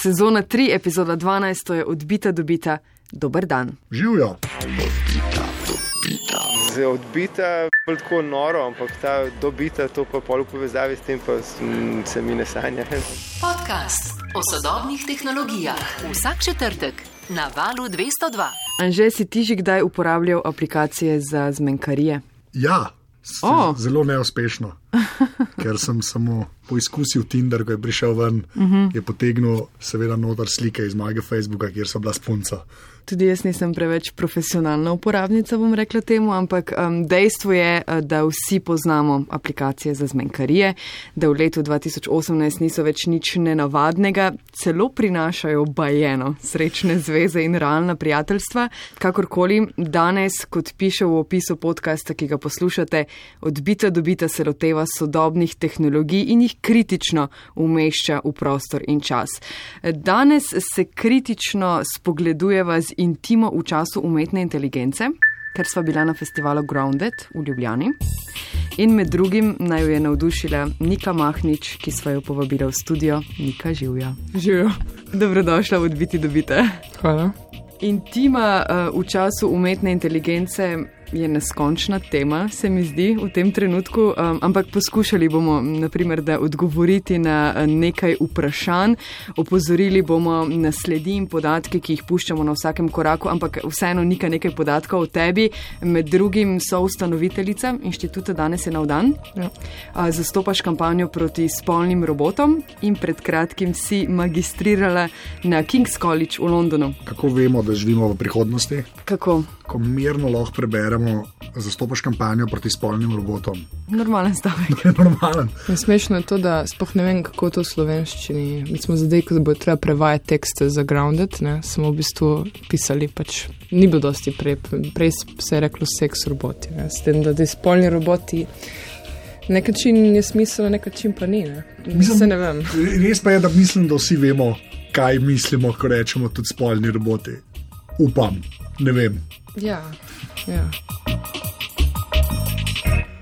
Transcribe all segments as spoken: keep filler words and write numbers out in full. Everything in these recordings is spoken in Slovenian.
Sezona tri, epizoda dvanajst, to je Odbita dobita. Dober dan. Živjo. Zdaj, odbita je tako noro, ampak ta dobita, to pa pol v povezavi s tem pa se mi ne sanja. Podcast o sodobnih tehnologijah. Vsak četrtek na Valu dvesto dva. Anže, si ti že kdaj uporabljal aplikacije za zmenkarije? Ja, oh. Zelo neuspešno, ker sem samo poizkusil Tinder, ko je prišel ven, uh-huh. je potegnil seveda noter slike iz mojega Facebooka, kjer so bila spunca. Tudi jaz nisem preveč profesionalna uporabnica, bom rekla temu, ampak um, dejstvo je, da vsi poznamo aplikacije za zmenkarije, da v letu dva tisoč osemnajst niso več nič nenavadnega, celo prinašajo bajeno, srečne zveze in realna prijateljstva. Kakorkoli, danes, kot piše v opisu podcasta, ki ga poslušate, Odbita dobita se loteva sodobnih tehnologij in jih kritično umešča v prostor in čas. Danes se kritično spogledujeva z intimo v času umetne inteligence, ker sva bila na festivalu Grounded v Ljubljani. In med drugim naj jo je navdušila Nika Mahnič, ki sva jo povabila v studio. Nika, živja. Živjo. Dobrodošla v Odbiti dobite. Hvala. Intima uh, v času umetne inteligence je neskončna tema, se mi zdi, v tem trenutku, um, ampak poskušali bomo, naprimer, da odgovoriti na nekaj vprašanj, opozorili bomo na sledi in podatke, ki jih puščamo na vsakem koraku, ampak vseeno Nika nekaj podatkov o tebi, med drugim so ustanoviteljica inštituta Danes je nov dan, ja. uh, zastopaš kampanjo proti spolnim robotom in pred kratkim si magistrirala na King's College v Londonu. Kako vemo, da živimo v prihodnosti? Kako? Ko mirno lahko preberemo, zastopaš kampanjo proti spolnim robotom. Normalen stavek. Normalen. Smešno je to, da sploh ne vem, kako to v slovenščini. Mi smo zdaj, ko bo treba prevajati tekste za Grounded, ne, smo v bistvu pisali, pač ni bilo dosti prej, prej se je reklo seks roboti, ne, s tem, da ti spolni roboti nekačin je smisel, nekačin pa ni, ne. Mislim, se ne vem. Res pa je, da mislim, da vsi vemo, kaj mislimo, ko rečemo tudi spolni roboti. Upam, ne vem. Ja, ja.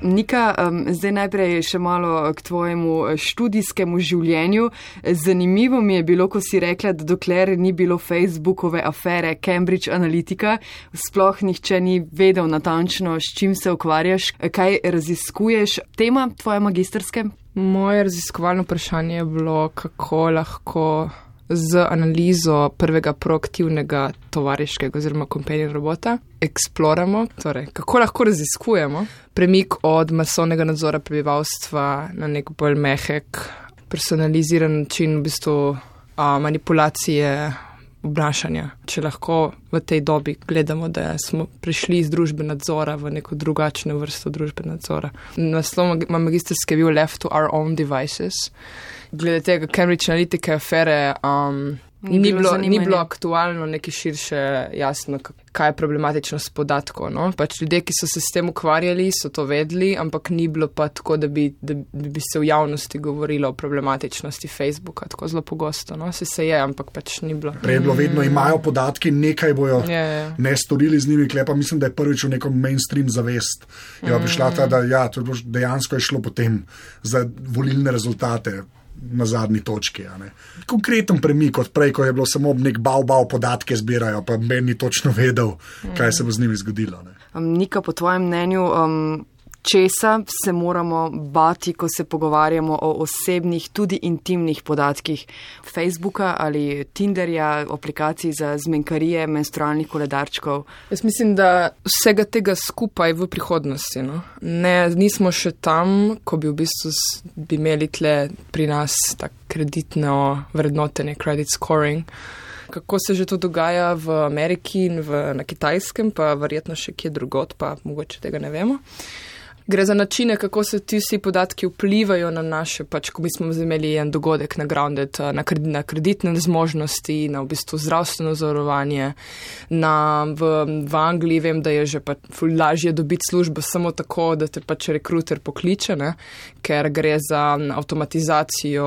Nika, um, zdaj najprej še malo k tvojemu študijskemu življenju. Zanimivo mi je bilo, ko si rekla, da dokler ni bilo Facebookove afere Cambridge Analytica, sploh nihče ni vedel natančno, s čim se ukvarjaš, kaj raziskuješ. Tema tvoje magistrske? Moje raziskovalno vprašanje je bilo, kako lahko z analizo prvega proaktivnega tovariškega oziroma companion robota eksploramo, torej kako lahko raziskujemo premik od masovnega nadzora prebivalstva na nek bolj mehek, personaliziran način v bistvu a, manipulacije obnašanja. Če lahko v tej dobi gledamo, da smo prišli iz družbe nadzora v neko drugačno vrsto družbe nadzora. Naslov magistrske je bil Left to Our Own Devices. Glede tega Cambridge Analytica afere um, ni, ni, bilo, ni bilo aktualno neki širše jasno, kaj je problematično s podatkov. No? Pač ljudje, ki so se s tem ukvarjali, so to vedeli, ampak ni bilo pa tako, da bi, da bi se v javnosti govorilo o problematičnosti Facebooka, tako zelo pogosto. No? Se se je, ampak pač ni bilo. Prej bilo vedno, imajo podatki, nekaj bojo je, je. ne storili z njimi, klepa mislim, da je prvič v nekom mainstream zavest. Je mm. prišla ta, da ja, to je bilo, dejansko je šlo potem za volilne rezultate na zadnji točki. Ja, konkreten premik od prej, ko je bilo samo nek bav-bav podatke zbirajo, pa meni točno vedel, kaj se bo z njimi zgodilo. Ne. Um, Nika, po tvojem mnenju, um, česa se moramo bati, ko se pogovarjamo o osebnih, tudi intimnih podatkih Facebooka ali Tinderja, aplikacij za zmenkarije, menstrualnih koledarčkov? Jaz mislim, da vsega tega skupaj v prihodnosti. No? Ne, nismo še tam, ko bi v bistvu bi imeli tle pri nas tak kreditno vrednotenje, credit scoring. Kako se že to dogaja v Ameriki in v, na Kitajskem, pa verjetno še kje drugot, pa mogoče tega ne vemo. Gre za načine, kako se ti vsi podatki vplivajo na naše, pač ko mi smo imeli en dogodek na Grounded, na, kred, na kreditne zmožnosti, na v bistvu zdravstveno zavarovanje. Na, v, v Angliji vem, da je že pa lažje dobiti službo samo tako, da te pač rekruter pokliče, ne? Ker gre za avtomatizacijo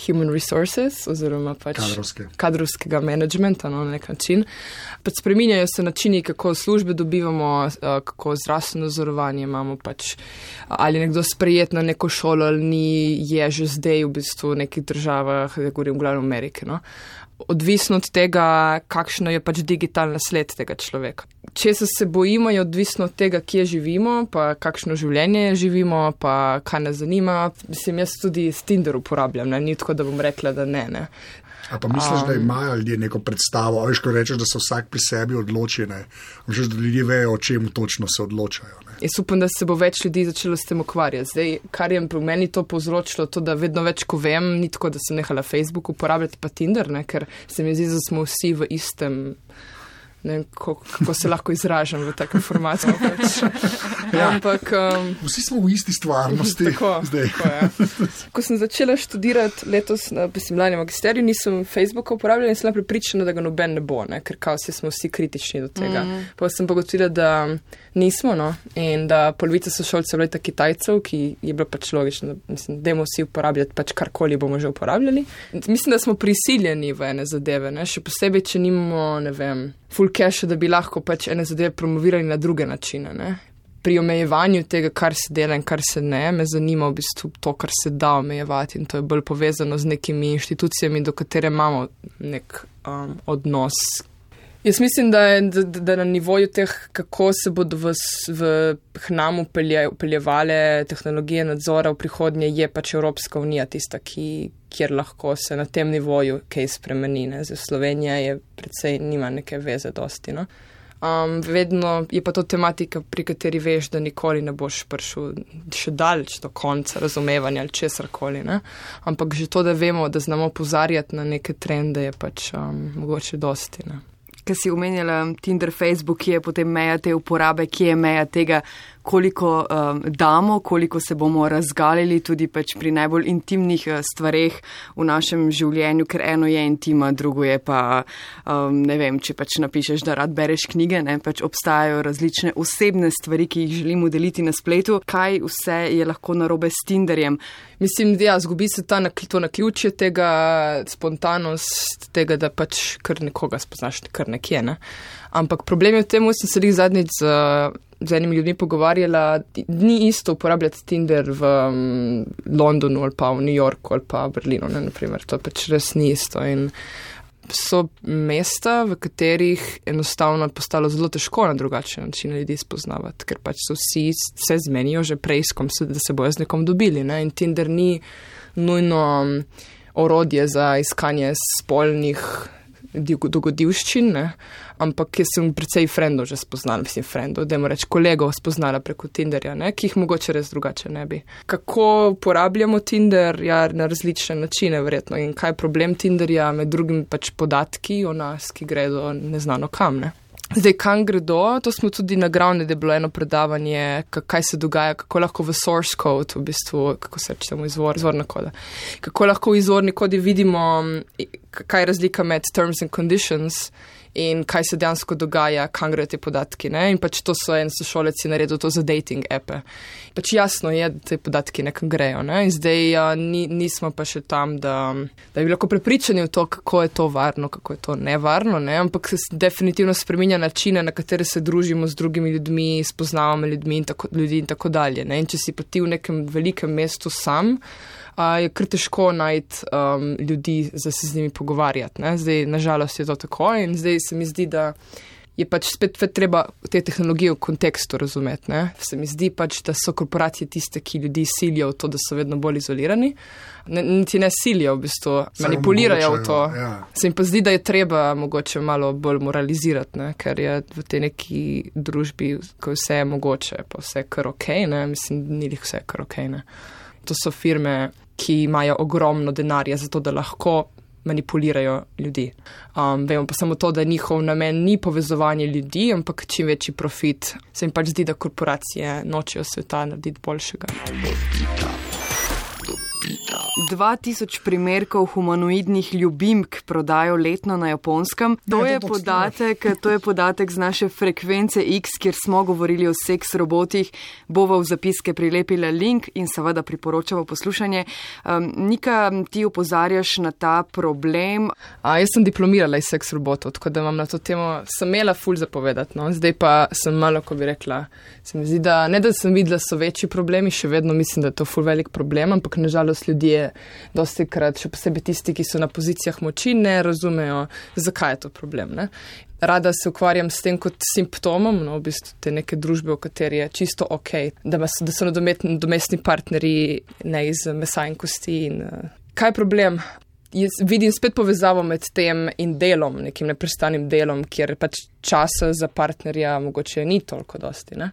human resources oziroma pač Kadrovske. kadrovskega managementa no, na nek način. Pač spreminjajo se načini, kako službe dobivamo, kako zdravstveno zavarovanje imamo pač pač ali nekdo sprejet na neko šolo ali ni, je že zdaj v bistvu v nekih državah, da govorim v glavnem Ameriki, no. Odvisno od tega, kakšno je pač digitalna sled tega človeka. Če se bojimo, je odvisno od tega, kje živimo, pa kakšno življenje živimo, pa kaj nas zanima. Mislim, jaz tudi s Tinder uporabljam, ne? Ni tako, da bom rekla, da ne, ne. A pa misliš, um, da imajo ljudje neko predstavo, veš, ko rečeš, da se vsak pri sebi odloči, ne? Misliš, da ljudje vejo, o čem točno se odločajo, ne? Jaz upam, da se bo več ljudi začelo s tem ukvarjati. Zdaj, kar je pri meni to povzročilo, to, da vedno več, ko vem, ni tako, da sem nehala Facebook uporabljati pa Tinder, ne? Ker se mi zdi, da smo vsi v istem, ne vem, kako, kako se lahko izražam v takem formatu. Pač. Ja. Ampak, um, vsi smo v isti stvarnosti. Tako, tako, ja. Ko sem začela študirati letos na lani magisteriju, nisem Facebooka uporabljala in sem prepričana, da ga noben ne bo, ne? Ker kao si smo vsi kritični do tega. Mm. Pa sem pogotovila, da nismo, no, in da polovica sošolcev leta Kitajcev, ki je bilo pač logično, da mislim, dajmo vsi uporabljati pač karkoli bomo že uporabljali. Mislim, da smo prisiljeni v ene zadeve, ne? Še posebej, če nimamo, ne vem, full cache, da bi lahko pač ene zadeve promovirali na druge načine, ne? Pri omejevanju tega, kar se dela in kar se ne, me zanima v bistvu to, kar se da omejevati in to je bolj povezano z nekimi inštitucijami, do katere imamo nek um, odnos. Jaz mislim, da, je, da, da na nivoju teh, kako se bodo v, v hnamu upeljevale tehnologije nadzora v prihodnje, je pač Evropska unija tista, ki, kjer lahko se na tem nivoju kaj spremeni. Ne? Zdaj, Slovenija je predvsej nima neke veze dosti, no? Um, vedno je pa to tematika, pri kateri veš, da nikoli ne boš prišel še daleč do konca razumevanja ali česarkoli, ne? Ampak že to, da vemo, da znamo opozarjati na neke trende, je pač um, mogoče dosti, ne? Ker si omenjala Tinder, Facebook, kje je potem meja te uporabe, kje je meja tega, koliko um, damo, koliko se bomo razgalili tudi pač pri najbolj intimnih uh, stvareh v našem življenju, ker eno je intima, drugo je pa, um, ne vem, če pač napišeš, da rad bereš knjige, ne, pač obstajajo različne osebne stvari, ki jih želimo deliti na spletu. Kaj vse je lahko narobe s Tinderjem? Mislim, da ja, zgubi se ta, to naključje tega, spontanost tega, da pač kar nekoga spoznaš, kar nekje, ne. Ampak problem je v tem, sem se lih zadnjič z, z enimi ljudmi pogovarjala, ni isto uporabljati Tinder v um, Londonu ali pa v New Yorku ali pa v Berlinu, ne, naprimer. To pač res ni isto. In so mesta, v katerih enostavno je postalo zelo težko na drugačen način ljudi spoznavati, ker pač so vsi se zmenijo že prej, da se bojo z nekom dobili, ne. In Tinder ni nujno orodje za iskanje spolnih dogodivščin, ne? Ampak jaz sem precej frendov že spoznala, mislim frendov, dajmo reči kolegov spoznala preko Tinderja, ne? Ki jih mogoče res drugače ne bi. Kako uporabljamo Tinder? Ja, na različne načine verjetno. In kaj je problem Tinderja? Med drugim pač podatki o nas, ki gredo neznano kam, ne? Zdaj, kam gredo, to smo tudi na Grounded, je bilo eno predavanje, kaj se dogaja, kako lahko v source code, v bistvu, kako se reče temu izvor, izvorna koda, kako lahko v izvorni kodi vidimo, kaj je razlika med terms and conditions in kaj se dejansko dogaja, kam gredo te podatki, ne? In pač to so en sošolec je naredil to za dating appe. Pač jasno je, da te podatki nekam grejo, ne? In zdaj ja, ni, nismo pa še tam, da, da bi lahko prepričani v to, kako je to varno, kako je to nevarno, ne? Ampak se definitivno spreminja načine, na katere se družimo z drugimi ljudmi, spoznavamo ljudmi in tako, ljudi in tako dalje, ne? In če si pa ti v nekem velikem mestu sam, Uh, je kar težko najti um, ljudi, da se z njimi pogovarjati. Ne? Zdaj, nažalost, je to tako in zdaj se mi zdi, da je pač spet treba te tehnologije v kontekstu razumeti. Ne? Se mi zdi pač, da so korporacije tiste, ki ljudi silijo v to, da so vedno bolj izolirani. Ne, niti ne silijo, v bistvu manipulirajo v to. Ja. Se mi pa zdi, da je treba mogoče malo bolj moralizirati, ne? Ker je v tej neki družbi, ko vse je mogoče, pa vse je kar okej, ne? Mislim, ni jih vse kar okej, ne? To so firme, ki imajo ogromno denarja za to, da lahko manipulirajo ljudi. Um, vemo pa samo to, da njihov namen ni povezovanje ljudi, ampak čim večji profit. Se jim pač zdi, da korporacije nočejo sveta narediti boljšega. dva tisoč primerkov humanoidnih ljubimk prodajo letno na Japonskem. To, Ne, je to podatek, to je podatek z naše frekvence X, kjer smo govorili o seks robotih. Bova v zapiske prilepila link in seveda priporočava poslušanje. Um, Nika, ti opozarjaš na ta problem. A, jaz sem diplomirala iz seks robotov, tako da imam na to temo, sem imela ful zapovedati, no. Zdaj pa sem malo, ko bi rekla, se mi zdi, da ne da sem videla, so večji problemi, še vedno mislim, da je to ful velik problem, ampak nažalost ljudje dosti krat, še posebej tisti, ki so na pozicijah moči, ne razumejo, zakaj je to problem, ne. Rada se ukvarjam s tem kot simptomom, no, v bistvu te neke družbe, v kateri je čisto ok, da, mas, da so nadomestni partnerji ne iz mesa in kosti. In, uh, kaj je problem? Jaz vidim spet povezavo med tem in delom, nekim neprestanim delom, kjer pač časa za partnerja mogoče ni toliko dosti, ne.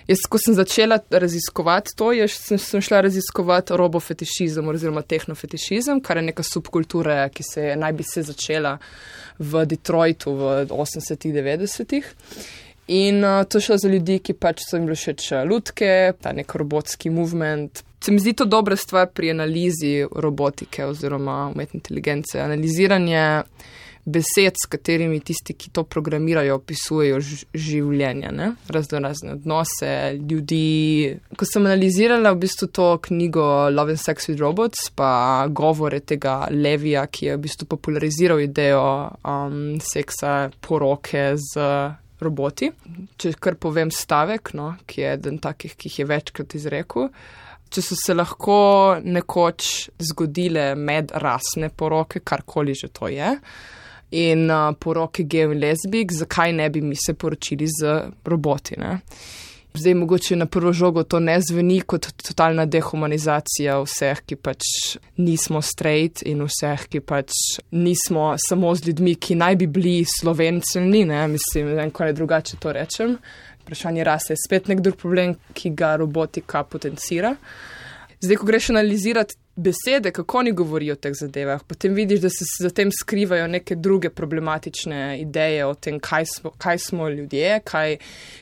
Jaz, ko sem začela raziskovati to, jaz sem, sem šla raziskovati robofetišizem oziroma tehnofetišizem, kar je neka subkultura, ki se je, naj bi se začela v Detroitu v osemdesetih, devetdesetih. In uh, to šlo za ljudi, ki pač so jim bili všeč lutke, ta nek robotski movement. Se mi zdi to dobra stvar pri analizi robotike oziroma umetne inteligence. Analiziranje besed, s katerimi tisti, ki to programirajo, opisujejo življenje, ne? Razno razne odnose, ljudi. Ko sem analizirala v bistvu to knjigo Love and Sex with Robots, pa govore tega Levija, ki je v bistvu populariziral idejo um, seksa, poroke z roboti. Če kar povem stavek, no, ki je eden takih, ki jih je večkrat izrekel. Če so se lahko nekoč zgodile medrasne poroke, karkoli že to je, in uh, poroke gejev in lezbijk, zakaj ne bi mi se poročili z roboti, ne? Zdaj mogoče na prvo žogo to ne zveni kot totalna dehumanizacija vseh, ki pač nismo straight in vseh, ki pač nismo samo z ljudmi, ki naj bi bili slovenceni, ne, mislim, ne vem, kaj drugače to rečem. Vprašanje rase je spet nek drug problem, ki ga robotika potencira. Zdaj, ko greš analizirati besede, kako oni govorijo o teh zadevah, potem vidiš, da se za tem skrivajo neke druge problematične ideje o tem, kaj smo, kaj smo ljudje, kaj,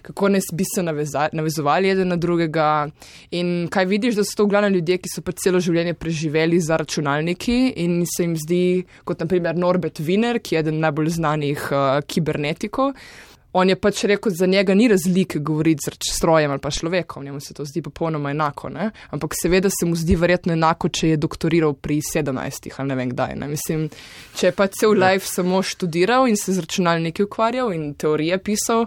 kako ne bi se naveza, navezovali eden na drugega. In kaj vidiš, da so to v glavnem ljudje, ki so pa celo življenje preživeli za računalniki in se jim zdi, kot na primer Norbert Wiener, ki je eden najbolj znanih uh, kibernetikov. On je pač rekel, za njega ni razlike govoriti z strojem ali pa človekom, njemu se to zdi popolnoma enako, ne? Ampak seveda se mu zdi verjetno enako, če je doktoriral pri sedemnajstih ali ne vem kdaj, ne? Mislim, če je pač cel life samo študiral in se z računalniki ukvarjal in teorije pisal,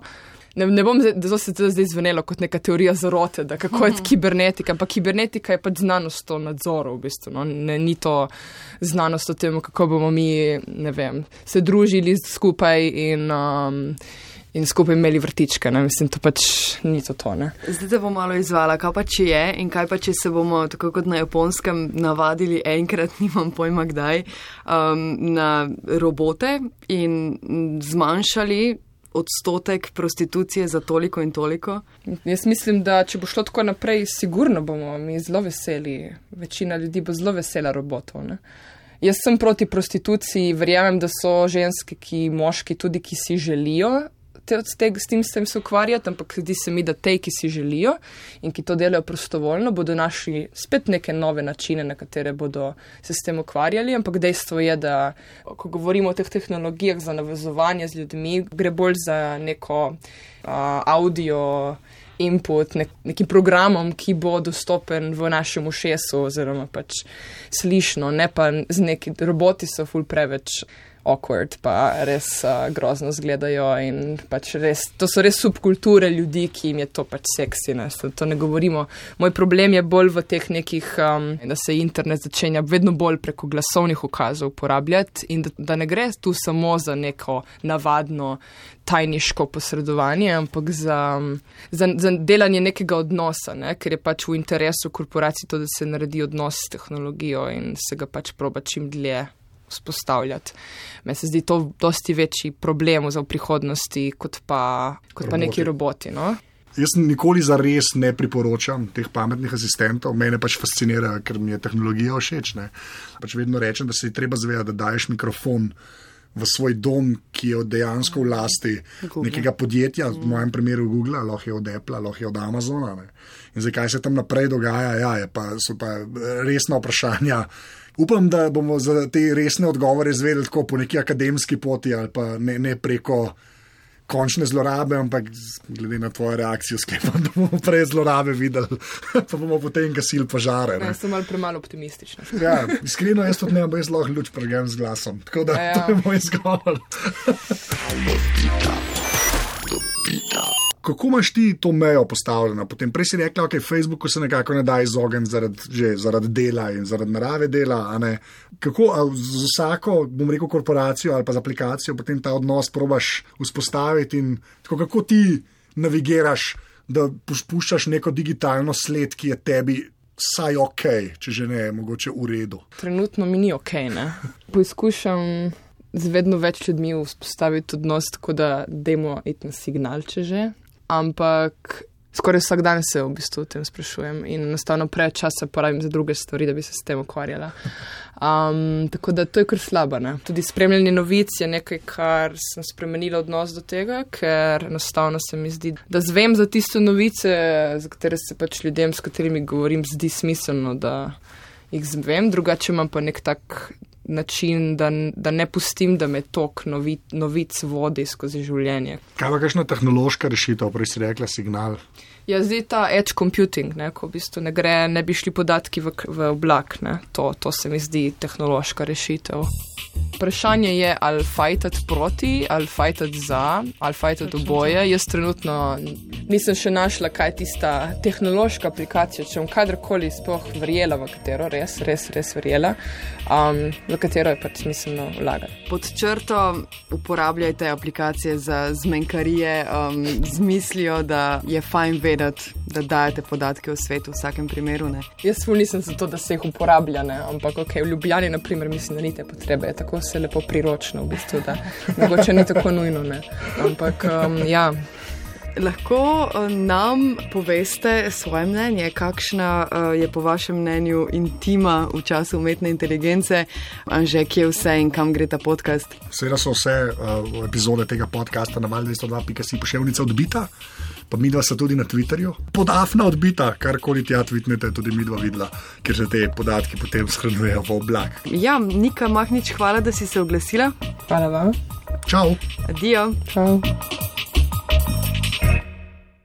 ne, ne bom zdaj, da se to zdaj zvenelo kot neka teorija zarote, da kako je kibernetika, ampak kibernetika je pač znanost o nadzoru v bistvu, no? Ne, ni to znanost o tem, kako bomo mi, ne vem, se družili skupaj in um, in skupaj imeli vrtičke, ne, mislim, to pač ni to to, ne. Zdaj te bom malo izvala, kaj pa če je in kaj pa če se bomo, tako kot na Japonskem, navadili enkrat, nimam pojma kdaj, um, na robote in zmanjšali odstotek prostitucije za toliko in toliko? Jaz mislim, da če bo šlo tako naprej, sigurno bomo mi zelo veseli, večina ljudi bo zelo vesela robotov, ne. Jaz sem proti prostituciji, verjamem, da so ženske, ki moški tudi, ki si želijo te, te, s tem se ukvarjati, ampak zdi se mi, da te, ki si želijo in ki to delajo prostovoljno, bodo našli spet neke nove načine, na katere bodo se s tem ukvarjali, ampak dejstvo je, da ko govorimo o teh tehnologijah za navezovanje z ljudmi, gre bolj za neko uh, audio input, nek, nekim programom, ki bo dostopen v našem ušesu oziroma pač slišno, ne pa z neki roboti so ful preveč awkward, pa res uh, grozno zgledajo in pač res, to so res subkulture ljudi, ki jim je to pač seksi, ne, to ne govorimo. Moj problem je bolj v teh nekih, um, da se internet začenja vedno bolj preko glasovnih ukazov uporabljati in da, da ne gre tu samo za neko navadno tajniško posredovanje, ampak za, za, za delanje nekega odnosa, ne, ker je pač v interesu korporacij to, da se naredi odnos s tehnologijo in se ga pač proba čim dlje vzpostavljati. Meni se zdi to dosti večji problem v prihodnosti, kot pa, kot pa neki roboti, no? Jaz nikoli za res ne priporočam teh pametnih asistentov, mene pač fascinira, ker mi je tehnologija všeč, ne. Pač vedno rečem, da se je treba zavedati, da daješ mikrofon v svoj dom, ki je dejansko v lasti Google. Nekega podjetja, v mojem primeru Google, lahko je od Apple, lahko je od Amazona. Ne. In zdaj, kaj se tam naprej dogaja, ja, je pa, so pa resna vprašanja. Upam, da bomo za te resne odgovore izvedeli tako po neki akademski poti ali pa ne, ne preko končne zlorabe, ampak glede na tvojo reakcijo sklepam, da bomo prej zlorabe videli, pa bomo potem gasili požare. Ja, sem malo premalo optimistična. Ja, iskreno jaz tudi ne, ampak jaz lahko luč pregem z glasom. Tako da ja, ja. To je moj izgovor. Kako imaš ti to mejo postavljeno? Potem prej si rekla, ok, Facebooku se nekako ne da izogniti zaradi, že zaradi dela in zaradi narave dela, a ne? Kako z vsako, bom rekel, korporacijo ali pa z aplikacijo potem ta odnos probaš vzpostaviti in tako, kako ti navigiraš, da puščaš neko digitalno sled, ki je tebi saj ok, če že ne, mogoče v redu? Trenutno mi ni ok, ne? Poizkušam z vedno več ljudmi vzpostaviti odnos, tako da dajmo iti na signal, če že. Ampak skoraj vsak dan se v bistvu o tem sprašujem in enostavno preveč časa porabim za druge stvari, da bi se s tem ukvarjala. Um, tako da to je kar slabo, ne? Tudi spremljanje novic je nekaj, kar sem spremenila odnos do tega, ker enostavno se mi zdi, da zvem za tiste novice, za katere se pač ljudem, s katerimi govorim, zdi smiselno, da jih zvem, drugače imam pa nek tak način, da, da ne pustim, da me tok novi, novic vodi skozi življenje. Kaj pa kakšna tehnološka rešitev, prej si rekla signal? Ja, zdaj ta edge computing, ne, ko v bistvu ne gre, ne bi šli podatki v, v oblak, ne, to, to se mi zdi tehnološka rešitev. Vprašanje je, ali fajtati proti, ali fajtati za, ali fajtati oboje. Jaz trenutno nisem še našla, kaj je tista tehnološka aplikacija, če bom kadarkoli sploh verjela v katero, res, res, res verjela, um, v katero je pač smiselno vlagati. Pod črto uporabljajte aplikacije za zmenkarije um, z mislijo, da je fajn vedeti, da dajete podatke o svetu v vsakem primeru. Ne? Jaz ful nisem za to, da se jih uporablja, ne? Ampak okay, v Ljubljani, na primer, mislim, da ni te potrebe, je tako vse lepo priročno, v bistvu, da mogoče ni tako nujno, ne? Ampak um, ja. Lahko uh, nam poveste svoje mnenje, kakšna uh, je po vašem mnenju intima v času umetne inteligence, Anže, kje vse in kam gre ta podcast? Seveda so vse uh, epizode tega podcasta na val dvesto dva pika si poševnica odbita, pa midva sta tudi na Twitterju. Podafna odbita, karkoli tja tweetnete, tudi midva videla, ker se te podatki potem shranjujejo v oblak. Ja, Nika Mahnič, hvala, da si se oglasila. Hvala vam. Čau. Adijo. Čau.